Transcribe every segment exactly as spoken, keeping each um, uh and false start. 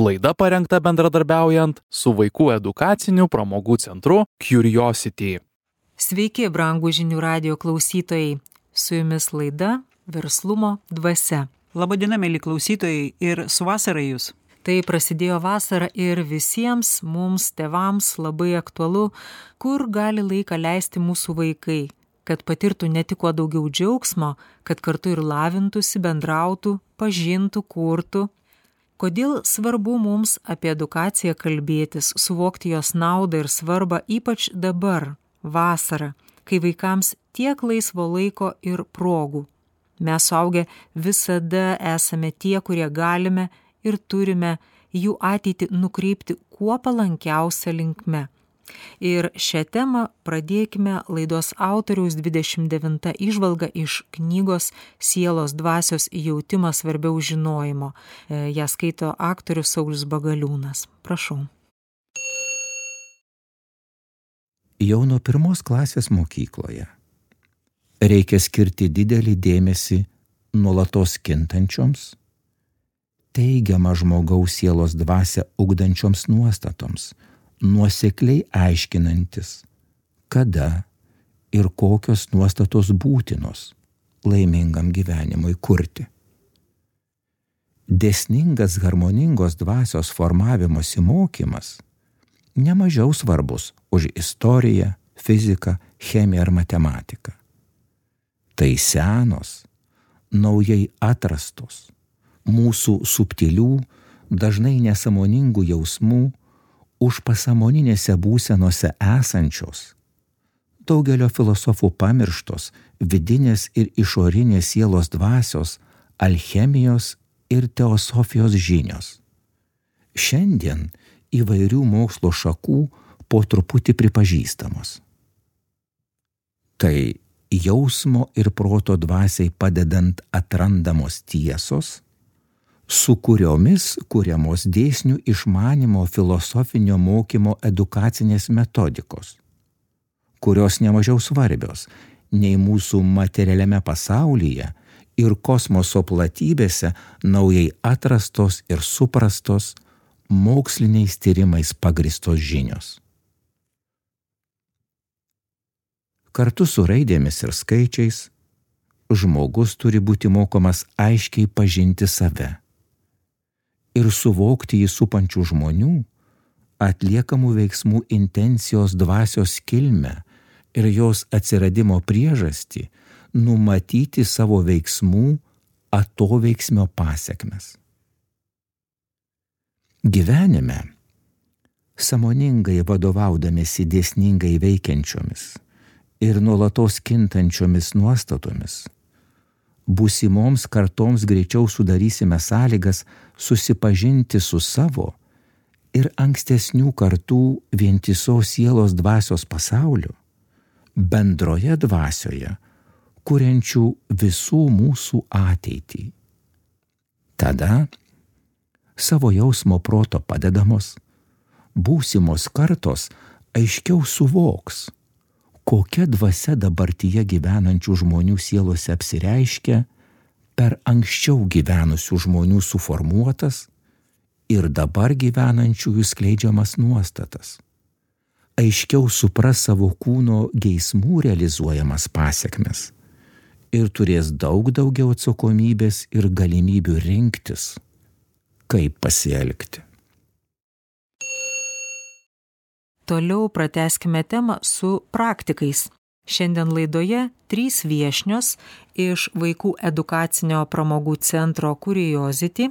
Laida parengta bendradarbiaujant su Vaikų edukaciniu pramogų centru Curiosity. Sveiki, brangų žinių radijo klausytojai. Su jumis laida Verslumo dvasia. Labadiena, mėly klausytojai, ir su vasara jūs. Tai prasidėjo vasara ir visiems mums, tėvams, labai aktualu, kur gali laiką leisti mūsų vaikai, kad patirtų ne tik kuo daugiau džiaugsmo, kad kartu ir lavintųsi, bendrautų, pažintų, kurtų. Kodėl svarbu mums apie edukaciją kalbėtis, suvokti jos naudą ir svarbą, ypač dabar, vasarą, kai vaikams tiek laisvo laiko ir progų. Mes suaugę visada esame tie, kurie galime ir turime jų ateitį nukreipti kuo palankiausia linkme. Ir šią temą pradėkime laidos autoriaus dvidešimt devinta įžvalga iš knygos Sielos dvasios jautimas svarbiau žinojimo. Ją skaito aktorius Saulius Bagaliūnas. Prašau. Jau nuo pirmos klasės mokykloje reikia skirti didelį dėmesį nuolatos kintančioms, teigiamą žmogaus sielos dvasią ugdančioms nuostatoms, nuosekliai aiškinantis, kada ir kokios nuostatos būtinos laimingam gyvenimui kurti. Dėsningas harmoningos dvasios formavimosi mokymas nemažiau svarbus už istoriją, fiziką, chemiją ar matematiką. Tai senos, naujai atrastos, mūsų subtilių, dažnai nesąmoningų jausmų, užpasamoninėse būsenose esančios, daugelio filosofų pamirštos vidinės ir išorinės sielos dvasios, alchemijos ir teosofijos žinios. Šiandien įvairių mokslo šakų po truputį pripažįstamos. Tai jausmo ir proto dvasiai padedant atrandamos tiesos, su kuriomis kuriamos dėsnių išmanimo filosofinio mokymo edukacinės metodikos, kurios nemažiau svarbios nei mūsų materialiame pasaulyje ir kosmoso platybėse naujai atrastos ir suprastos moksliniais tyrimais pagristos žinios. Kartu su raidėmis ir skaičiais žmogus turi būti mokomas aiškiai pažinti save ir suvokti jį supančių žmonių, atliekamų veiksmų intencijos dvasios kilmę ir jos atsiradimo priežastį, numatyti savo veiksmų atoveiksmio pasekmes. Gyvenime, sąmoningai vadovaudamiesi dėsningai veikiančiomis ir nuolatos kintančiomis nuostatomis, būsimoms kartoms greičiau sudarysime sąlygas susipažinti su savo ir ankstesnių kartų vientisos sielos dvasios pasauliu, bendroje dvasioje, kuriančių visų mūsų ateitį. Tada savo jausmo proto padedamos, būsimos kartos aiškiau suvoks, kokia dvasia dabartyje gyvenančių žmonių sielose apsireiškia per anksčiau gyvenusių žmonių suformuotas ir dabar gyvenančiųjų skleidžiamas nuostatas. Aiškiau supras savo kūno geismų realizuojamas pasekmes ir turės daug daugiau atsakomybės ir galimybių rinktis, kaip pasielgti. Toliau pratęskime temą su praktikais. Šiandien laidoje trys viešnios iš Vaikų edukacinio pramogų centro Curiosity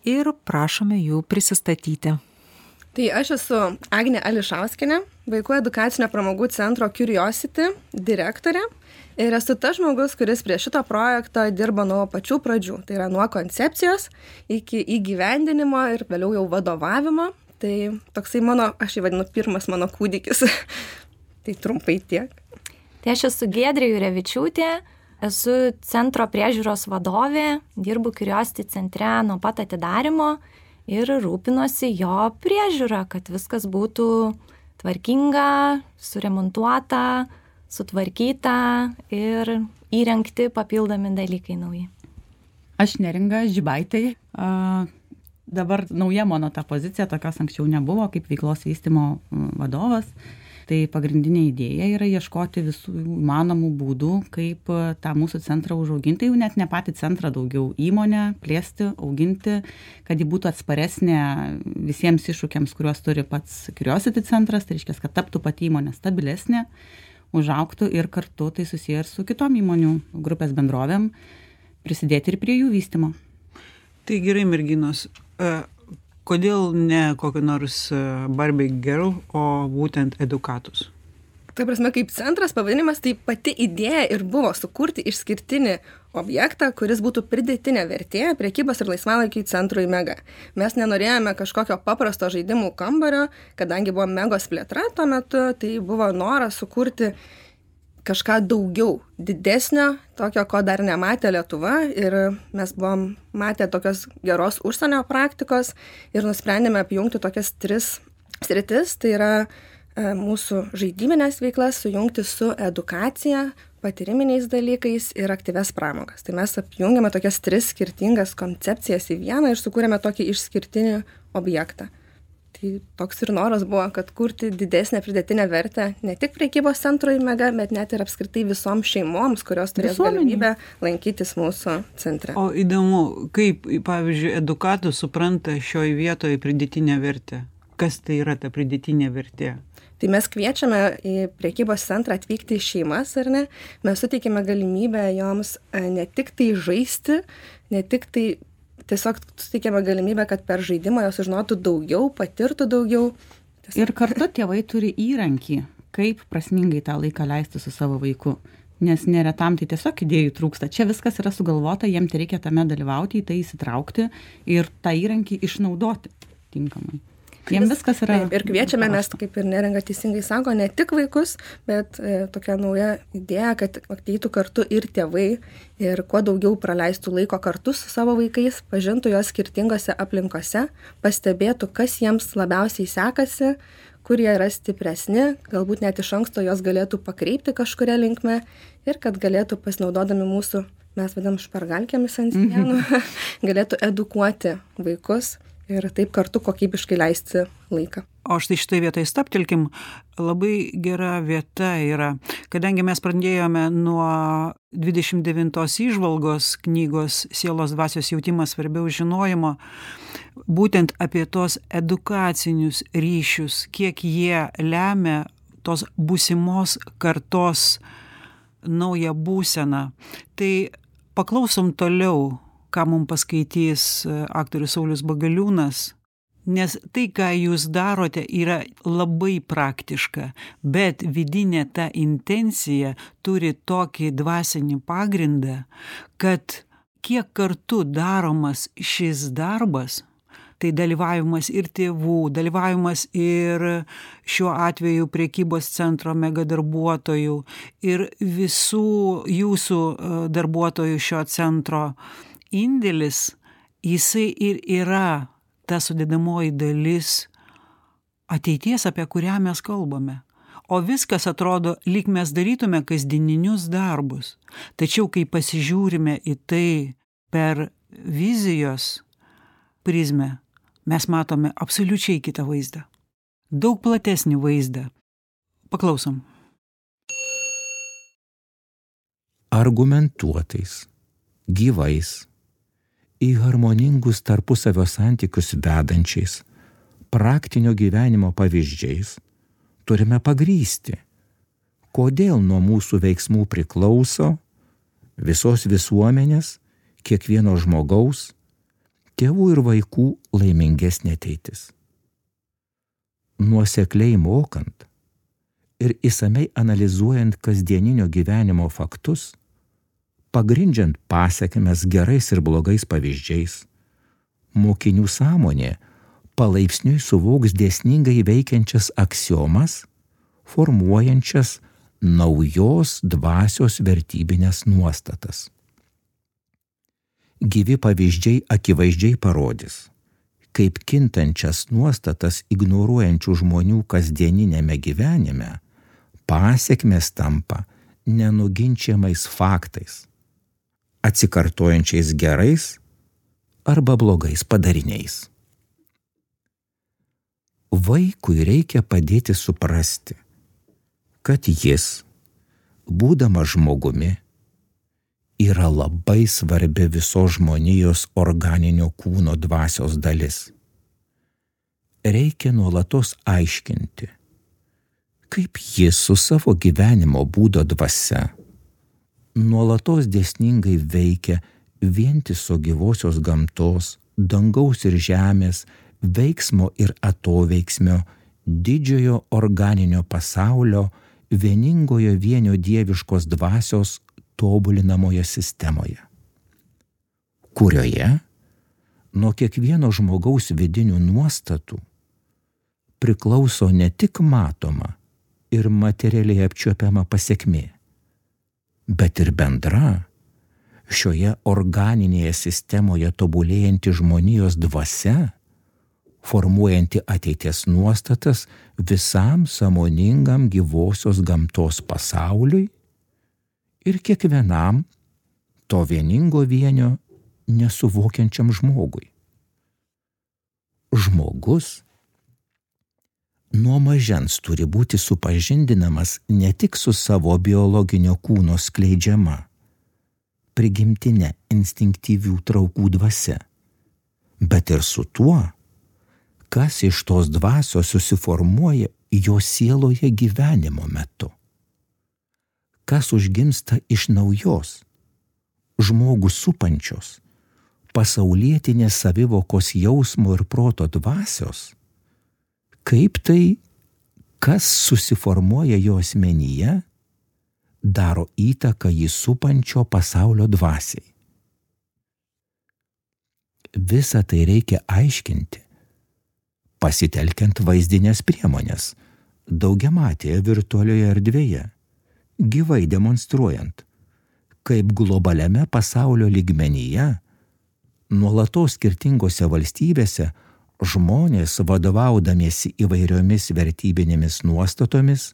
ir prašome jų prisistatyti. Tai aš esu Agnė Ališauskienė, Vaikų edukacinio pramogų centro Curiosity direktorė ir esu tas žmogus, kuris prie šito projekto dirba nuo pačių pradžių. Tai yra nuo koncepcijos iki įgyvendinimo ir vėliau jau vadovavimo. Tai toksai mano, aš jį vadinu, pirmas mano kūdikis. Tai trumpai tiek. Tai aš esu Giedrė Jurevičiūtė, esu centro priežiūros vadovė, dirbu Curiosity centre nuo pat atidarymo ir rūpinosi jo priežiūrą, kad viskas būtų tvarkinga, suremontuota, sutvarkyta ir įrengti papildomi dalykai nauji. Aš Neringa Žibaitė, dabar nauja mano ta pozicija, tokios anksčiau nebuvo, kaip veiklos vystymo vadovas. Tai pagrindinė idėja yra ieškoti visų įmanomų būdų, kaip tą mūsų centrą užauginti, jau net ne patį centrą, daugiau įmonę plėsti, auginti, kad ji būtų atsparesnė visiems iššūkiams, kuriuos turi pats Curiosity centras, tai reiškia, kad taptų pati įmonė stabilesnė, užaugtų ir kartu tai susiję ir su kitom įmonių grupės bendrovėm, prisidėti ir prie jų vystymo. Tai gerai, merginos. Kodėl ne kokį nors Barbie Girl, o būtent Edukatus? Tai prasme, kaip centras pavadinimas, tai pati idėja ir buvo sukurti išskirtinį objektą, kuris būtų pridėtinė vertė prekybos ir laisvalaikiui centrui Mega. Mes nenorėjome kažkokio paprasto žaidimų kambario, kadangi buvo Megos plėtra tuo metu, tai buvo noras sukurti kažką daugiau, didesnio, tokio, ko dar nematė Lietuva, ir mes buvom matę tokios geros užsienio praktikos ir nusprendėme apjungti tokias tris sritis, tai yra e, mūsų žaidyminės veiklas sujungti su edukacija, patyriminiais dalykais ir aktyvias pramogas. Tai mes apjungėme tokias tris skirtingas koncepcijas į vieną ir sukūrėme tokį išskirtinį objektą. Tai toks ir noras buvo, kad kurti didesnę pridėtinę vertę ne tik prekybos centrui Mega, bet net ir apskritai visoms šeimoms, kurios turės galimybę lankytis mūsų centre. O įdomu, kaip, pavyzdžiui, Edukatus supranta šioje vietoje pridėtinę vertę? Kas tai yra ta pridėtinė vertė? Tai mes kviečiame į prekybos centrą atvykti į šeimas, ar ne? Mes suteikime galimybę joms ne tik tai žaisti, ne tik tai tiesiog suteikėme galimybę, kad per žaidimą jos sužinotų daugiau, patirtų daugiau. Tiesiog. Ir kartu tėvai turi įrankį, kaip prasmingai tą laiką leisti su savo vaiku. Nes neretam tai tiesiog idėjų trūksta. Čia viskas yra sugalvota, jiem tai reikia tame dalyvauti, į tai įsitraukti ir tą įrankį išnaudoti tinkamai. Jiem viskas yra... Ir kviečiame mes, kaip ir Neringa teisingai sako, ne tik vaikus, bet e, tokia nauja idėja, kad ateitų kartu ir tėvai ir kuo daugiau praleistų laiko kartu su savo vaikais, pažintų juos skirtingose aplinkose, pastebėtų, kas jiems labiausiai sekasi, kur jie yra stipresni, galbūt net iš anksto jos galėtų pakreipti kažkuria linkme ir kad galėtų pasinaudodami mūsų, mes vadinam špargalkėmis ant sienų, galėtų edukuoti vaikus ir taip kartu kokybiškai leisti laiką. O štai šitoj vietoj staptelkim, labai gera vieta yra, kadangi mes pradėjome nuo dvidešimt devintos įžvalgos knygos Sielos dvasios jautimas svarbiau žinojimo, būtent apie tos edukacinius ryšius, kiek jie lemia tos būsimos kartos naują būseną. Tai paklausom toliau, ką mums paskaitys aktorius Saulius Bagaliūnas, nes tai, ką jūs darote, yra labai praktiška, bet vidinė ta intencija turi tokį dvasinį pagrindą, kad kiek kartu daromas šis darbas, tai dalyvavimas ir tėvų, dalyvavimas ir šiuo atveju prekybos centro Mega darbuotojų ir visų jūsų darbuotojų šio centro indėlis, jisai ir yra ta sudėdamoji dalis ateities, apie kurią mes kalbame. O viskas atrodo, lyg mes darytume kasdieninius darbus. Tačiau, kai pasižiūrime į tai per vizijos prizmę, mes matome absoliučiai kitą vaizdą. Daug platesnį vaizdą. Paklausom. Argumentuotais, gyvais, į harmoningus tarpusavio santykius vedančiais, praktinio gyvenimo pavyzdžiais turime pagrįsti, kodėl nuo mūsų veiksmų priklauso visos visuomenės, kiekvieno žmogaus, tėvų ir vaikų laimingesnė ateitis. Nuosekliai mokant ir išsamei analizuojant kasdieninio gyvenimo faktus, pagrindžiant pasekmes gerais ir blogais pavyzdžiais, mokinių sąmonė palaipsniui suvoks dėsningai veikiančias aksiomas, formuojančias naujos dvasios vertybinės nuostatas. Gyvi pavyzdžiai akivaizdžiai parodys, kaip kintančias nuostatas ignoruojančių žmonių kasdieninėme gyvenime pasekmės tampa nenuginčiamais faktais, atsikartojančiais gerais arba blogais padariniais. Vaikui reikia padėti suprasti, kad jis, būdamas žmogumi, yra labai svarbi visos žmonijos organinio kūno dvasios dalis. Reikia nuolatos aiškinti, kaip jis su savo gyvenimo būdo dvasia nuolatos dėsningai veikia vientiso gyvosios gamtos, dangaus ir žemės, veiksmo ir atoveiksmio, didžiojo organinio pasaulio, vieningojo vienio dieviškos dvasios tobulinamoje sistemoje, kurioje nuo kiekvieno žmogaus vidinių nuostatų priklauso ne tik matoma ir materialiai apčiuopiama pasekmė, bet ir bendra šioje organinėje sistemoje tobulėjanti žmonijos dvasia, formuojanti ateities nuostatas visam sąmoningam gyvosios gamtos pasauliui ir kiekvienam to vieningo vienio nesuvokiančiam žmogui. Žmogus nuo mažens turi būti supažindinamas ne tik su savo biologinio kūno skleidžiama, prigimtine instinktyvių traukų dvasia, bet ir su tuo, kas iš tos dvasios susiformuoja jo sieloje gyvenimo metu, kas užgimsta iš naujos, žmogų supančios, pasaulietinės savivokos jausmo ir proto dvasios, kaip tai, kas susiformuoja jo asmenyje, daro įtaką jį supančio pasaulio dvasiai. Visą tai reikia aiškinti, pasitelkiant vaizdinės priemonės, daugiamatėje virtualioje erdvėje, gyvai demonstruojant, kaip globaliame pasaulio lygmenyje, nuolatos skirtingose valstybėse, žmonės, vadovaudamiesi įvairiomis vertybinėmis nuostatomis,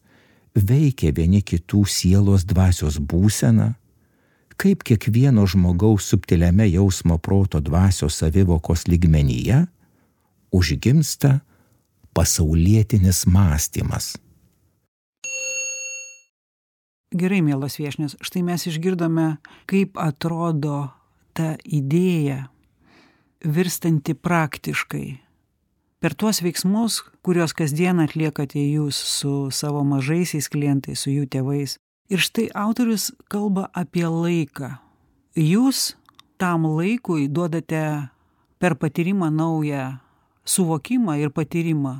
veikia vieni kitų sielos dvasios būseną, kaip kiekvieno žmogaus subtiliame jausmo proto dvasios savivokos lygmenyje užgimsta pasaulietinis mąstymas. Gerai, mielos viešnios, štai mes išgirdome, kaip atrodo ta idėja virstanti praktiškai. Per tuos veiksmus, kuriuos kasdien atliekate jūs su savo mažaisiais klientais, su jų tėvais. Ir štai autorius kalba apie laiką. Jūs tam laikui duodate per patyrimą naują suvokimą ir patyrimą.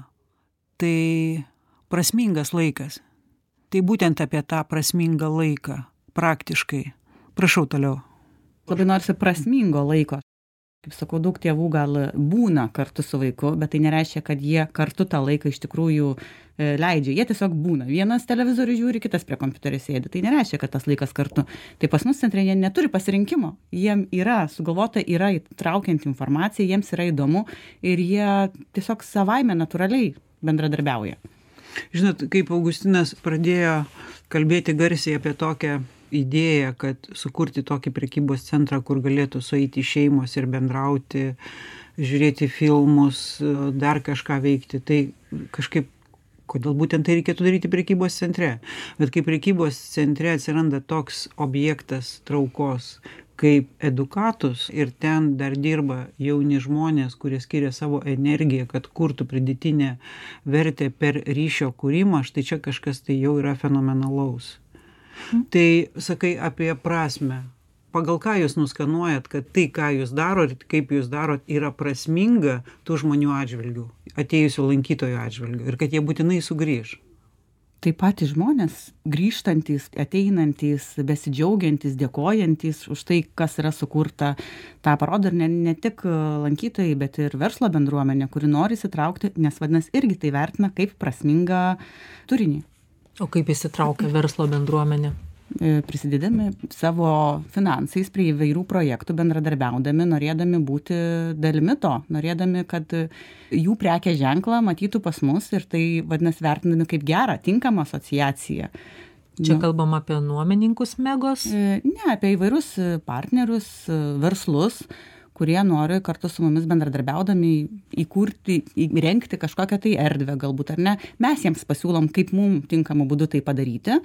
Tai prasmingas laikas. Tai būtent apie tą prasmingą laiką, praktiškai. Prašau toliau. Labai norisi prasmingo laiko. Kaip sakau, daug tėvų gal būna kartu su vaiku, bet tai nereiškia, kad jie kartu tą laiką iš tikrųjų leidžia. Jie tiesiog būna. Vienas televizorių žiūri, kitas prie kompiuterio sėdi. Tai nereiškia, kad tas laikas kartu. Tai pas mus centre jie neturi pasirinkimo. Jiem yra sugalvota, yra įtraukianti informacija, jiems yra įdomu ir jie tiesiog savaime natūraliai bendradarbiauja. Žinot, kaip Augustinas pradėjo kalbėti garsiai apie tokią idėja, kad sukurti tokį prekybos centrą, kur galėtų sueiti šeimos ir bendrauti, žiūrėti filmus, dar kažką veikti. Tai kažkaip, kodėl būtent tai reikėtų daryti prekybos centre. Bet kai prekybos centre atsiranda toks objektas traukos kaip edukatus ir ten dar dirba jauni žmonės, kurie skiria savo energiją, kad kurtų pridėtinę vertę per ryšio kūrimą, štai čia kažkas tai jau yra fenomenalaus. Tai sakai apie prasmę. Pagal ką jūs nuskanuojat, kad tai, ką jūs darot, kaip jūs darot, yra prasminga tų žmonių atžvilgių, atėjusių lankytojų atžvilgių ir kad jie būtinai sugrįž? Tai patys žmonės, grįžtantys, ateinantys, besidžiaugiantys, dėkojantys už tai, kas yra sukurta, tą parodo ir ne, ne tik lankytojai, bet ir verslo bendruomenė, kuri nori įsitraukti, nes vadinasi irgi tai vertina kaip prasmingą turinį. O kaip įsitraukia verslo bendruomenė? Prisidėdami savo finansais prie įvairių projektų, bendradarbiaudami, norėdami būti dalimi to, norėdami, kad jų prekės ženklą matytų pas mus ir tai vadinasi vertinami kaip gerą, tinkamą asociaciją. Čia nu, kalbam apie nuomininkus Megos? Ne, apie įvairius partnerius, verslus, kurie nori kartu su mumis bendradarbiaudami įkurti, įrengti kažkokią tai erdvę galbūt, ar ne. Mes jiems pasiūlom, kaip mums tinkamų būdų tai padaryti,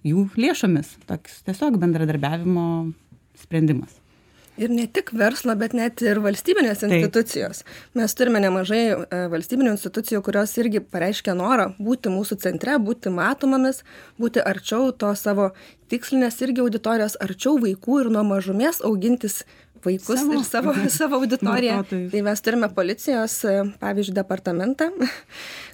jų lėšomis. Toks tiesiog bendradarbiavimo sprendimas. Ir ne tik verslo, bet net ir valstybinės institucijos. Taip. Mes turime nemažai valstybinių institucijų, kurios irgi pareiškia norą būti mūsų centre, būti matomomis, būti arčiau to savo tikslinės irgi auditorijos, arčiau vaikų ir nuo mažumės augintis vaikus savo, ir savo, savo auditoriją. Tai mes turime policijos, pavyzdžiui, departamentą,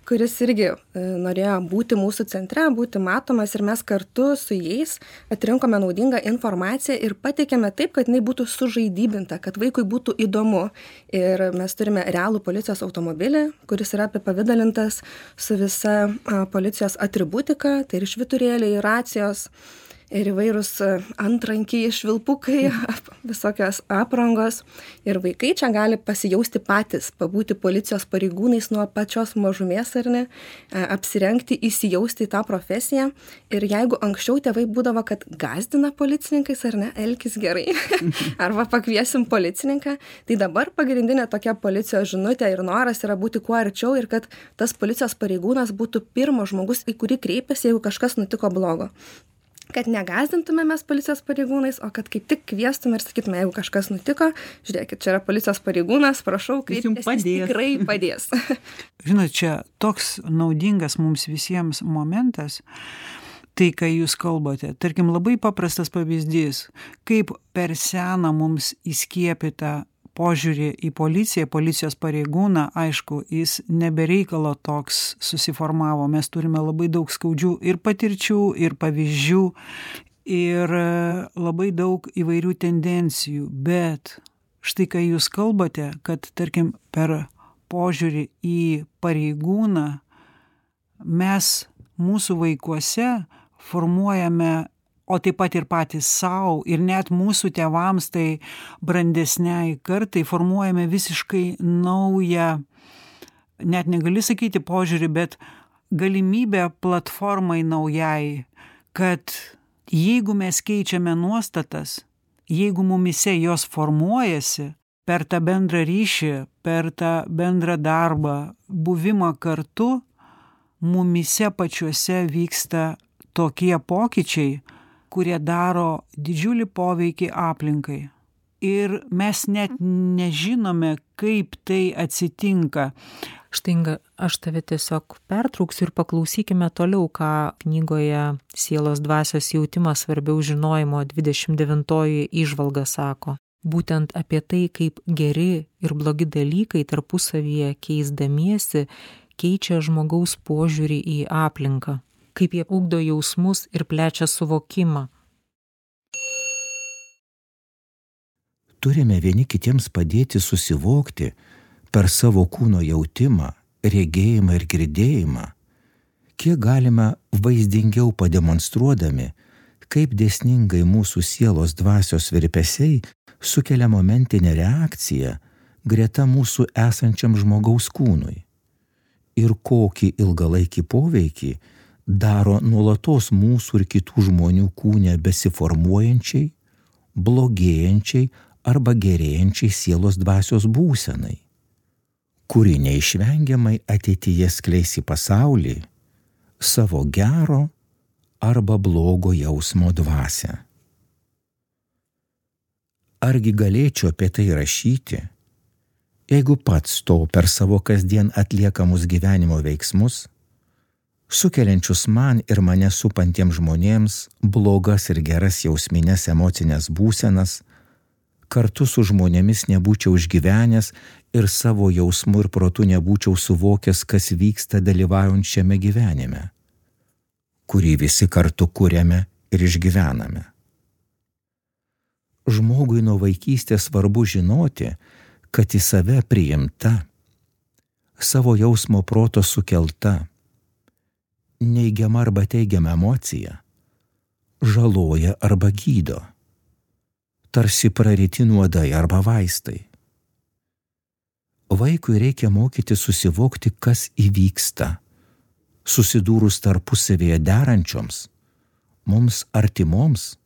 kuris irgi norėjo būti mūsų centre, būti matomas ir mes kartu su jais atrinkome naudingą informaciją ir pateikėme taip, kad jinai būtų sužaidybinta, kad vaikui būtų įdomu. Ir mes turime realų policijos automobilį, kuris yra apipavidalintas su visa policijos atributika, tai ir švyturėliai, racijos, ir įvairūs antrankiai, švilpukai, visokios aprangos. Ir vaikai čia gali pasijausti patys, pabūti policijos pareigūnais nuo pačios mažumės, ar ne, apsirengti, įsijausti į tą profesiją. Ir jeigu anksčiau tėvai būdavo, kad gąsdina policininkais, ar ne, elkis gerai, arba pakviesim policininką, tai dabar pagrindinė tokia policijos žinutė ir noras yra būti kuo arčiau ir kad tas policijos pareigūnas būtų pirmas žmogus, į kurį kreipiasi, jeigu kažkas nutiko blogo. Kad negazdintume mes policijos pareigūnais, o kad kaip tik kviestume ir sakytume, jeigu kažkas nutiko, žiūrėkit, čia yra policijos pareigūnas, prašau, kreiptis, jis tikrai padės. Žinot, čia toks naudingas mums visiems momentas, tai, kai jūs kalbate. Tarkim, labai paprastas pavyzdys, kaip per seną mums įskiepyta požiūrį į policiją, policijos pareigūną, aišku, jis nebereikalo toks susiformavo. Mes turime labai daug skaudžių ir patirčių, ir pavyzdžių, ir labai daug įvairių tendencijų. Bet štai, kai jūs kalbate, kad, tarkim, per požiūrį į pareigūną mes mūsų vaikuose formuojame, o taip pat ir patys savo, ir net mūsų tėvams, tai brandesniai kartai formuojame visiškai naują, net negali sakyti požiūrį, bet galimybę platformai naujai, kad jeigu mes keičiame nuostatas, jeigu mumise jos formuojasi per tą bendrą ryšį, per tą bendrą darbą, buvimą kartu, mumise pačiuose vyksta tokie pokyčiai, kurie daro didžiulį poveikį aplinkai. Ir mes net nežinome, kaip tai atsitinka. Štai, Inga, aš tave tiesiog pertrauksiu ir paklausykime toliau, ką knygoje Sielos dvasios jautimas svarbiau žinojimo dvidešimt devintoji įžvalga sako. Būtent apie tai, kaip geri ir blogi dalykai tarpusavyje keisdamiesi keičia žmogaus požiūrį į aplinką, kaip jie ugdo jausmus ir plečia suvokimą. Turime vieni kitiems padėti susivokti per savo kūno jautimą, regėjimą ir girdėjimą, kiek galime vaizdingiau pademonstruodami, kaip dėsningai mūsų sielos dvasios virpesiai sukelia momentinę reakciją greta mūsų esančiam žmogaus kūnui ir kokį ilgalaikį poveikį daro nuolatos mūsų ir kitų žmonių kūne besiformuojančiai, blogėjančiai arba gerėjančiai sielos dvasios būsenai, kuri neišvengiamai ateityje skleis į pasaulį savo gero arba blogo jausmo dvasią. Argi galėčiau apie tai rašyti, jeigu pats to per savo kasdien atliekamus gyvenimo veiksmus, sukeliančius man ir mane supantiems žmonėms blogas ir geras jausmines emocinės būsenas, kartu su žmonėmis nebūčiau išgyvenęs ir savo jausmu ir protu nebūčiau suvokęs, kas vyksta dalyvaujant šiame gyvenime, kurį visi kartu kuriame ir išgyvename. Žmogui nuo vaikystės svarbu žinoti, kad į save priimta, savo jausmo proto sukelta, neigiama arba teigiama emocija žaloja arba gydo, tarsi praryti nuodai arba vaistai. Vaikui reikia mokyti susivokti, kas įvyksta, susidūrus tarpusavėje derančioms, mums artimoms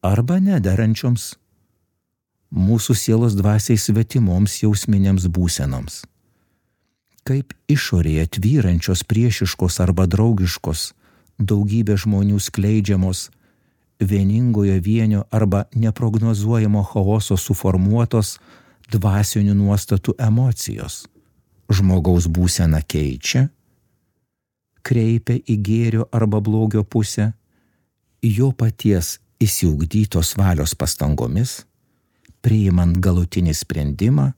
arba nederančioms mūsų sielos dvasiai svetimoms jausminėms būsenoms. Kaip išorėje tvyrančios priešiškos arba draugiškos daugybė žmonių skleidžiamos vieningojo vienio arba neprognozuojamo chaoso suformuotos dvasinių nuostatų emocijos žmogaus būseną keičia, kreipia į gėrio arba blogio pusę, jo paties išsiugdytos valios pastangomis, priimant galutinį sprendimą,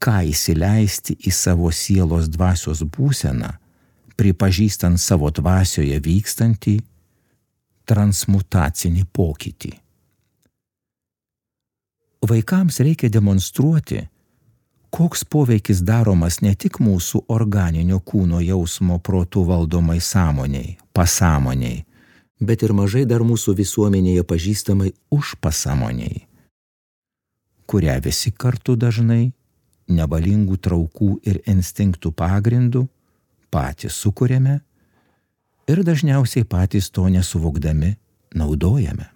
ką įsileisti į savo sielos dvasios būseną, pripažįstant savo dvasioje vykstantį transmutacinį pokytį. Vaikams reikia demonstruoti, koks poveikis daromas ne tik mūsų organinio kūno jausmo protų valdomai sąmoniai, pasąmoniai, bet ir mažai dar mūsų visuomenėje pažįstamai užpasąmoniai, kurią visi kartu dažnai nevalingų traukų ir instinktų pagrindų patys sukuriame ir dažniausiai patys to nesuvokdami naudojame.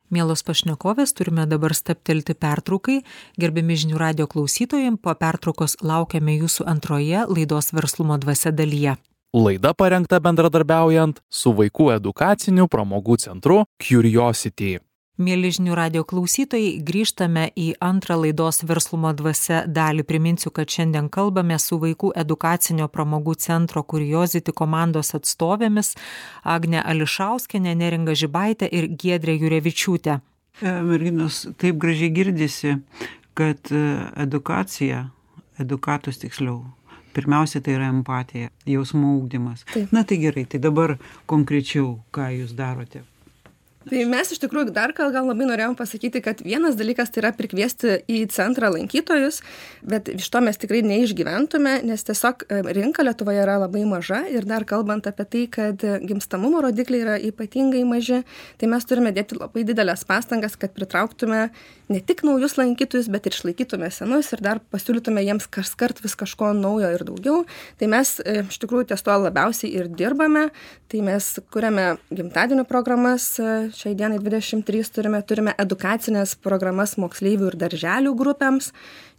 Mielos pašnekovės, turime dabar stabtelti pertraukai. Gerbiami žinių radijo klausytojai, po pertraukos laukiame jūsų antroje laidos Verslumo dvasia dalyje. Laida parengta bendradarbiaujant su Vaikų edukaciniu pramogų centru Curiosity. Mieli žinių radijo klausytojai, grįžtame į antrą laidos Verslumo dvasia dalį. Priminsiu, kad šiandien kalbame su Vaikų edukacinio pramogų centro Curiosity komandos atstovėmis Agne Ališauskiene, Neringa Žibaitė ir Giedrė Jurevičiūtė. Merginos, taip gražiai girdisi, kad edukacija, edukatus tiksliau, pirmiausia tai yra empatija, jausmų ugdymas. Taip. Na tai gerai, tai dabar konkrečiau, ką jūs darote? Tai mes iš tikrųjų dar gal, gal labai norėjom pasakyti, kad vienas dalykas tai yra prikviesti į centrą lankytojus, bet iš to mes tikrai neišgyventume, nes tiesiog rinka Lietuvoje yra labai maža ir dar kalbant apie tai, kad gimstamumo rodikliai yra ypatingai maži, tai mes turime dėti labai didelės pastangas, kad pritrauktume ne tik naujus lankytojus, bet ir išlaikytume senus ir dar pasiūlytume jiems kaskart vis kažko naujo ir daugiau. Tai mes iš tikrųjų ties to labiausiai ir dirbame, tai mes kuriame gimtadienio programas. Šiai dienai dvidešimt trys turime, turime edukacinės programas moksleivių ir darželių grupėms.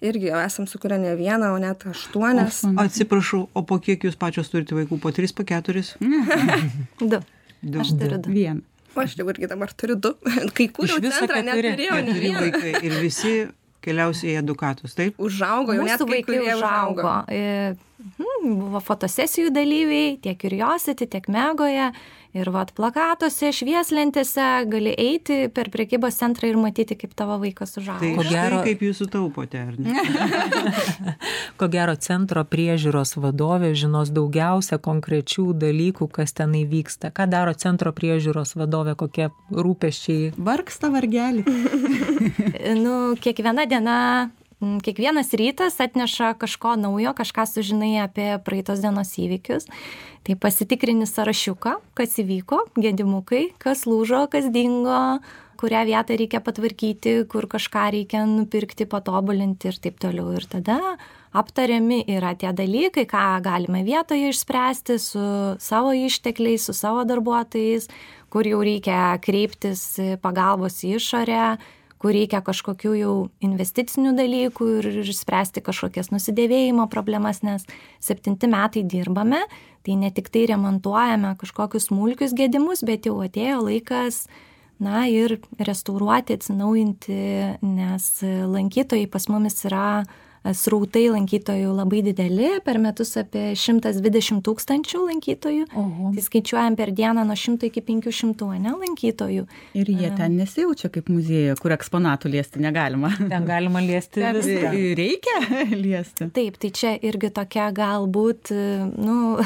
Irgi jau esam sukūrę ne vieną, o net aštuonias. O, atsiprašau, o po kiek jūs pačios turite vaikų? Po tris, po keturis? Du. Du. Aš turiu du. Vieną. O aš jau irgi dabar turiu du. Kai kūriau centrą, neturėjau ne vieną. Vaikai ir visi keliausiai į edukatus, taip? Užaugo, jau net kai kurie užaugo. Hmm, buvo fotosesijų dalyviai, tiek Curiosity, tiek Megoje. Ir vat plakatuose, švieslentėse gali eiti per prekybos centrą ir matyti, kaip tavo vaikas užaugo. Tai štai gero... kaip jūs sutaupote, ar ne? Ko gero centro priežiūros vadovė žinos daugiausia konkrečių dalykų, kas tenai vyksta. Ką daro centro priežiūros vadovė, kokie rūpesčiai? Vargsta vargelį. Nu, kiekviena diena, kiekvienas rytas atneša kažko naujo, kažką sužinai apie praeitos dienos įvykius. Tai pasitikrini sąrašiuką, kas įvyko, gedimukai, kas lūžo, kas dingo, kurią vietą reikia patvarkyti, kur kažką reikia nupirkti, patobulinti ir taip toliau. Ir tada aptariami yra tie dalykai, ką galime vietoje išspręsti su savo ištekliais, su savo darbuotojais, kur jau reikia kreiptis pagalbos į išorę, kur reikia kažkokių jau investicinių dalykų ir išspręsti kažkokias nusidėvėjimo problemas, nes septinti metai dirbame, tai ne tik tai remontuojame kažkokius smulkius gedimus, bet jau atėjo laikas, na ir restauruoti, atsinaujinti, nes lankytojai pas mumis yra srautai lankytojų labai dideli, per metus apie šimtas dvidešimt tūkstančių lankytojų. Oho. Tai skaičiuojam per dieną nuo šimto iki penkių šimtų, ne, lankytojų. Ir jie ten nesijaučia kaip muziejuje, kur eksponatų liesti negalima. Ten galima liesti viską. Reikia liesti. Taip, tai čia irgi tokia galbūt, nu,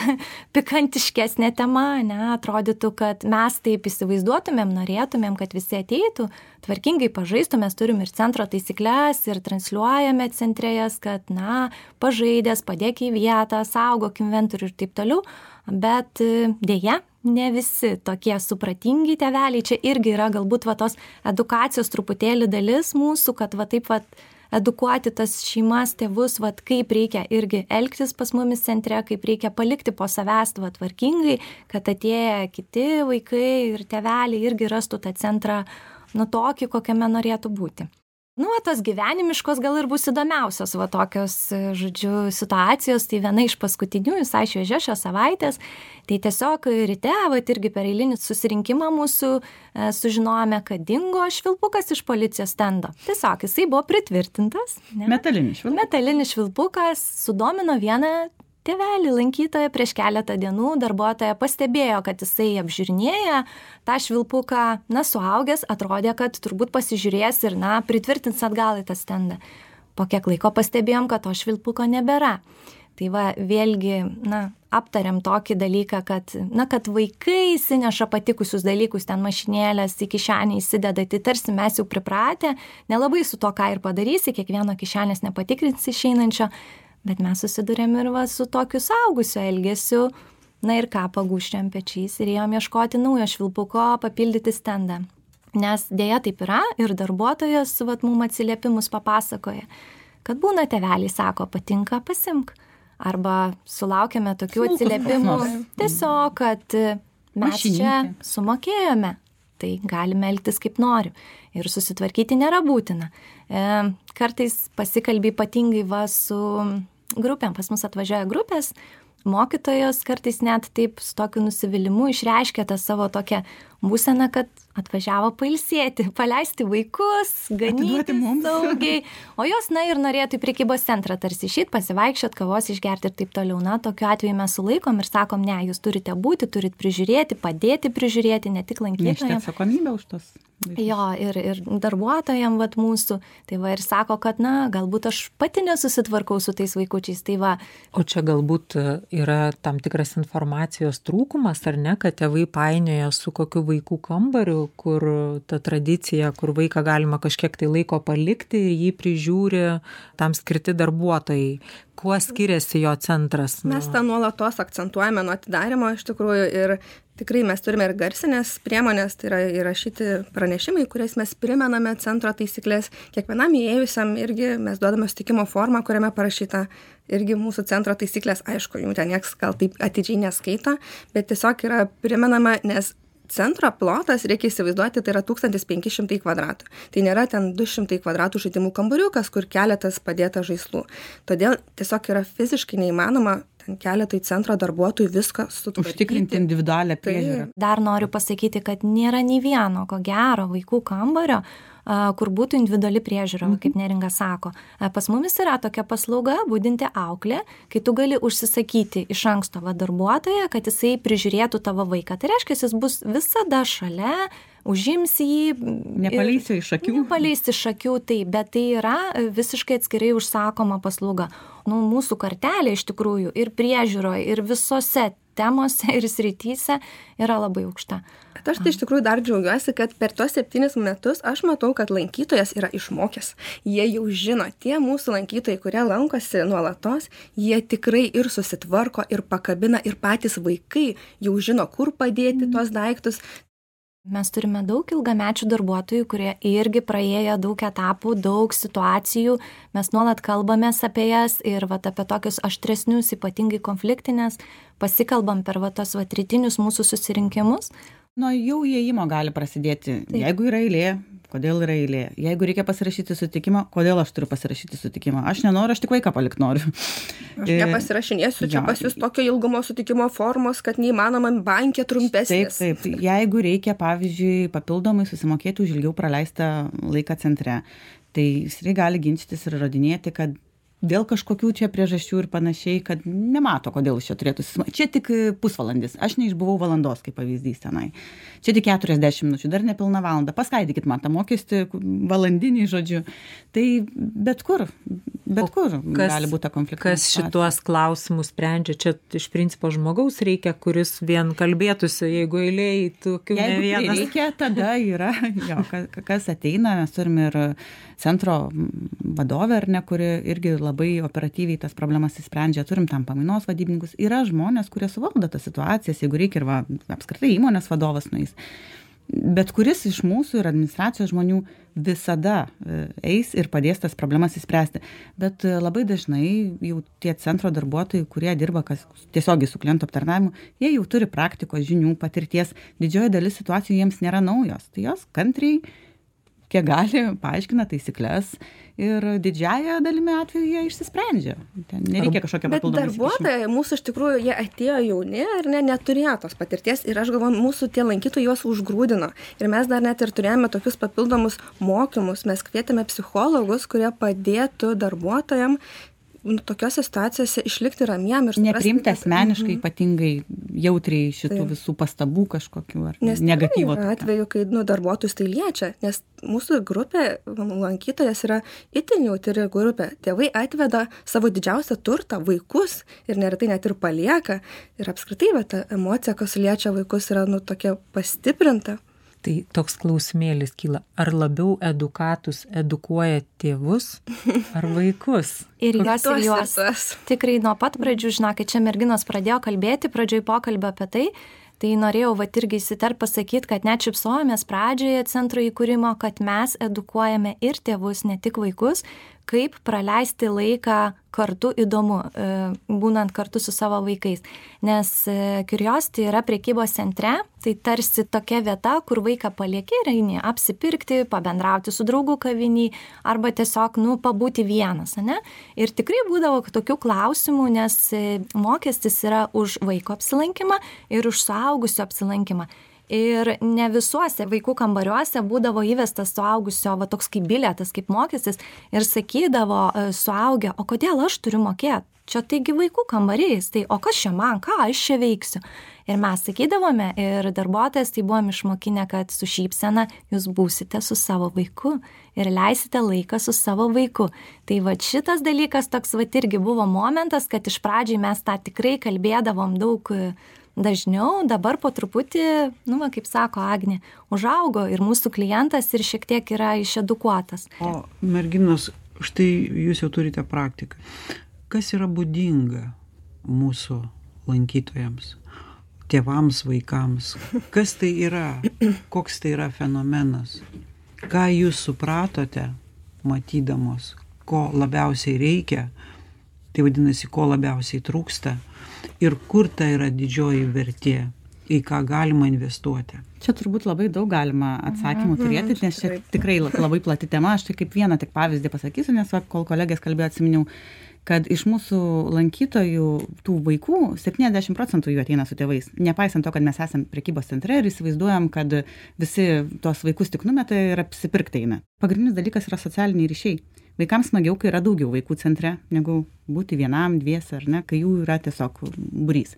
pikantiškesnė tema, ne, atrodytų, kad mes taip įsivaizduotumėm, norėtumėm, kad visi ateitų, tvarkingai pažaistų, mes turim ir centro taisyklės ir transliuojame centre, kad, na, pažaidęs, padėk į vietą, saugok inventorių ir taip toliau, bet dėja, ne visi tokie supratingi tėveliai, čia irgi yra galbūt va tos edukacijos truputėlį dalis mūsų, kad va taip va edukuoti tas šeimas, tėvus, va kaip reikia irgi elgtis pas mumis centre, kaip reikia palikti po savęs va tvarkingai, kad atėję kiti vaikai ir tėveliai irgi rastų tą centrą nu tokį, kokiame norėtų būti. Nu, tos gyvenimiškos gal ir bus įdomiausios, va tokios, žodžiu, situacijos, tai viena iš paskutinių, visai šviežia šios savaitės, tai tiesiog ryte, va irgi per eilinį susirinkimą mūsų e, sužinojome, kad dingo švilpukas iš policijos stendo. Tiesiog jisai buvo pritvirtintas. Ne? Metalinis švilpukas. Metalinis švilpukas sudomino vieną tėvelį lankytoją prieš keletą dienų, darbuotoja pastebėjo, kad jisai apžiūrinėja tą švilpuką, na, suaugęs, atrodė, kad turbūt pasižiūrės ir, na, pritvirtins atgal į tą stendą. Po kiek laiko pastebėjom, kad to švilpuko nebėra. Tai va, vėlgi, na, aptariam tokį dalyką, kad, na, kad vaikai įsineša patikusius dalykus, ten mašinėlės į kišenę įsideda, tai tarsi mes jau pripratę, nelabai su to ką ir padarysi, kiekvieno kišenės nepatikrinsi išeinančio, bet mes susidurėm ir va su tokiu saugusio elgesiu, na ir ką, pagūščiam pečiais ir ėjom ieškoti naujo švilpuko, papildyti stendą. Nes dėja taip yra ir darbuotojas va mum atsiliepimus papasakoja, kad būna tėveliai sako, patinka, pasimk. Arba sulaukėme tokių atsiliepimų tiesiog, kad mes čia sumokėjome, tai galime elgtis kaip noriu. Ir susitvarkyti nėra būtina. E, kartais pasikalbė ypatingai va su grupėm, pas mus atvažiuoja grupės, mokytojos kartais net taip su tokiu nusivylimu išreiškia tą savo tokią būseną, kad atvažiavo pailsėti, paleisti vaikus, ganyti saugiai, o jos, na, ir norėtų į prekybos centrą tarsi išeit, pasivaikščiot, kavos išgerti ir taip toliau. Na, tokiu atveju mes sulaikom ir sakom, ne, jūs turite būti, turite prižiūrėti, padėti prižiūrėti, ne tik lankytojams. Nešti atsakomybę už tos. Jo, ir, ir darbuotojams vat mūsų, tai va ir sako, kad, na, galbūt aš pati nesusitvarkau su tais vaikučiais, tai va. O čia galbūt yra tam tikras informacijos trūkumas, ar ne, kad tėvai painioja su kokiu vaikų kambariu, kur ta tradicija, kur vaiką galima kažkiek tai laiko palikti ir jį prižiūri tam skirti darbuotojai. Kuo skiriasi jo centras? Mes tą nuolatos akcentuojame nuo atidarimo iš tikrųjų ir tikrai mes turime ir garsinės priemonės, tai yra įrašyti pranešimai, kuriais mes primename centro taisyklės. Kiekvienam įėjusiam irgi mes duodame sutikimo formą, kuriame parašyta irgi mūsų centro taisyklės. Aišku, jų ten nieks gal taip atidžiai neskaito, bet tiesiog yra primenama, nes centro plotas, reikia įsivaizduoti, tai yra tūkstantis penki šimtai kvadratų. Tai nėra ten du šimtai kvadratų žaidimų kambariukas, kur keletas padėta žaislų. Todėl tiesiog yra fiziškai neįmanoma ten keletui centro darbuotojų viską sutvarkyti. Užtikrinti individualią priežiūrą. Dar noriu pasakyti, kad nėra nei vieno, ko gero, vaikų kambario, kur būtų individuali priežiūra, mhm. kaip Neringa sako. Pas mumis yra tokia paslauga, budinti auklė, kai tu gali užsisakyti iš anksto va darbuotoją, kad jisai prižiūrėtų tavo vaiką. Tai reiškia, jis bus visada šalia, užims jį. Nepaleisi iš akių. Nepaleisi iš akių, tai, bet tai yra visiškai atskirai užsakoma paslauga. Nu, mūsų kartelė iš tikrųjų ir priežiūroje, ir visose temose ir srityse yra labai aukšta. Bet aš tai iš tikrųjų dar džiaugiuosi, kad per tos septynis metus aš matau, kad lankytojas yra išmokęs. Jie jau žino, tie mūsų lankytojai, kurie lankosi nuolatos, jie tikrai ir susitvarko, ir pakabina, ir patys vaikai jau žino, kur padėti tuos daiktus. Mes turime daug ilgamečių darbuotojų, kurie irgi praėjo daug etapų, daug situacijų. Mes nuolat kalbamės apie jas ir vat, apie tokius aštresnius, ypatingai konfliktinės, pasikalbam per vat, tos vat, rytinius mūsų susirinkimus. Nuo jau įėjimo gali prasidėti. Taip. Jeigu yra eilė, kodėl yra eilė? Jeigu reikia pasirašyti sutikimą, kodėl aš turiu pasirašyti sutikimą? Aš nenoriu, aš tik vaiką palikti noriu. Aš nepasirašinėsiu, čia pas jūs tokio ilgumo sutikimo formos, kad neįmanoma bankė trumpesnės. Taip, taip. Jeigu reikia, pavyzdžiui, papildomai susimokėti už ilgiau praleistą laiką centre, tai jis gali ginčytis ir įrodinėti, kad dėl kažkokių čia priežasčių ir panašiai, kad nemato, kodėl čia turėtų susimokėti. Čia tik pusvalandis. Aš neišbuvau valandos, kaip pavyzdys tenai. Čia tik keturiasdešimt minučių, dar nepilna valanda. Paskaidykit man tą mokestį valandinį, žodžiu. Tai bet kur, bet kur kas, gali būti konfliktas. Kas šituos klausimus sprendžia? Čia iš principo žmogaus reikia, kuris vien kalbėtųsi, jeigu eilėj tokių ne vienas. Jeigu reikia, tada yra, jo, kas ateina, mes turime ir centro vadovę, ar ne, kuri irgi labai operatyviai tas problemas įsprendžia, turim tam pamainos vadybininkus. Yra žmonės, kurie suvaldo tas situacijas, jeigu reikia ir va, apskritai įmonės vadovas nueis. Bet kuris iš mūsų ir administracijos žmonių visada eis ir padės tas problemas įspręsti. Bet labai dažnai jau tie centro darbuotojai, kurie dirba kas, tiesiogiai su klientų aptarnavimu, jie jau turi praktikos, žinių, patirties. Didžioji dalis situacijų jiems nėra naujos. Tai jos kantriai kiek gali, paaiškina taisyklės ir didžiąją dalimi atveju jie išsisprendžia. Ten nereikia kažkokio papildomo įsikišimo. Bet darbuotojai mūsų iš tikrųjų, jie atėjo jauni ir ne, neturėjo tos patirties ir aš galvoju, mūsų tie lankytojai juos užgrūdino. Ir mes dar net ir turėjome tokius papildomus mokymus, mes kvietėme psichologus, kurie padėtų darbuotojam nu, tokiose situacijose išlikti ramiem ir nepriimti asmeniškai, mm-hmm. ypatingai jautriai šitų tai. Visų pastabų kažkokių ar nes negatyvo. Nes atveju, kai nu, darbuotojus tai liečia, nes mūsų grupė, lankytojas yra itin jautri grupė. Tėvai atveda savo didžiausią turtą, vaikus ir neretai net ir palieka. Ir apskritai, bet ta emocija, kas liečia vaikus, yra nu, tokia pastiprinta. Tai toks klausimėlis kyla, ar labiau edukatus edukuoja tėvus ar vaikus? Ir juos ir juos. Tikrai nuo pat pradžių, žinokit, čia merginos pradėjo kalbėti, pradžioj pokalbio apie tai, tai norėjau vat irgi įsiterpt pasakyti, kad net šypsojomės pradžioje centro įkūrimo, kad mes edukuojame ir tėvus, ne tik vaikus, kaip praleisti laiką kartu įdomu, būnant kartu su savo vaikais. Nes Curiosity yra prekybos centre, tai tarsi tokia vieta, kur vaiką palieki ir eini apsipirkti, pabendrauti su draugu kavinį arba tiesiog, nu, pabūti vienas, ne? Ir tikrai būdavo tokių klausimų, nes mokestis yra už vaiko apsilankymą ir už suaugusio apsilankymą. Ir ne visuose vaikų kambariuose būdavo įvestas suaugusio, va toks kaip bilietas, kaip mokestis ir sakydavo suaugę, o kodėl aš turiu mokėti? Čia taigi vaikų kambarys, tai o kas čia man, ką aš čia veiksiu? Ir mes sakydavome ir darbuotojas tai buvom išmokinę, kad su šypsena jūs būsite su savo vaiku ir leisite laiką su savo vaiku. Tai va šitas dalykas toks va irgi buvo momentas, kad iš pradžiai mes tą tikrai kalbėdavom daug dažniau, dabar po truputį, nu, va, kaip sako Agnė, užaugo ir mūsų klientas ir šiek tiek yra išedukuotas. O merginos, štai jūs jau turite praktiką. Kas yra būdinga mūsų lankytojams, tėvams, vaikams? Kas tai yra? Koks tai yra fenomenas? Ką jūs supratote, matydamos, ko labiausiai reikia, tai vadinasi, ko labiausiai trūksta ir kur tai yra didžioji vertė, į ką galima investuoti. Čia turbūt labai daug galima atsakymų turėti, nes čia tikrai labai plati tema. Aš tai kaip vieną tik pavyzdį pasakysiu, nes kol kolegės kalbėjo, atsiminiau, kad iš mūsų lankytojų, tų vaikų, septyniasdešimt procentų jų ateina su tėvais. Nepaisant to, kad mes esame prekybos centre ir įsivaizduojam, kad visi tos vaikus tik numeta ir apsipirkti eina. Pagrindinis dalykas yra socialiniai ryšiai. Vaikams smagiau, kai yra daugiau vaikų centre, negu būti vienam, dviese, ar ne, kai jų yra tiesiog būrys.